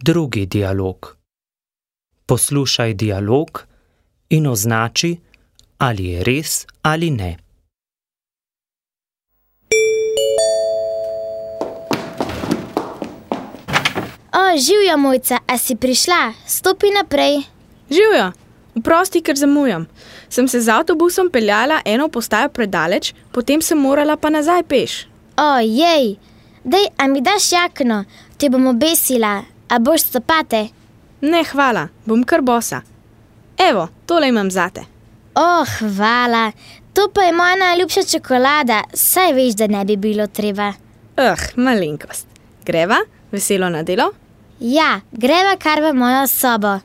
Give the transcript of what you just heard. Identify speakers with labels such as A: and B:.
A: Drugi dialog. Poslušaj dialog in označi, ali je res ali ne.
B: Živjo, Mojca, a si prišla? Stopi naprej.
C: Živjo, oprosti, ker zamujam. Sem se z avtobusom peljala eno postajo predaleč, potem sem morala pa nazaj peš.
B: Jej, dej, a mi daš jakno? Te bom obesila. A boš copate?
C: Ne, hvala, bom kar bosa. Evo, tole imam zate.
B: Hvala. To pa je moja najljubša čokolada. Saj veš, da ne bi bilo treba.
C: Malenkost. Greva? Veselo na delo?
B: Ja, greva kar v mojo sobo.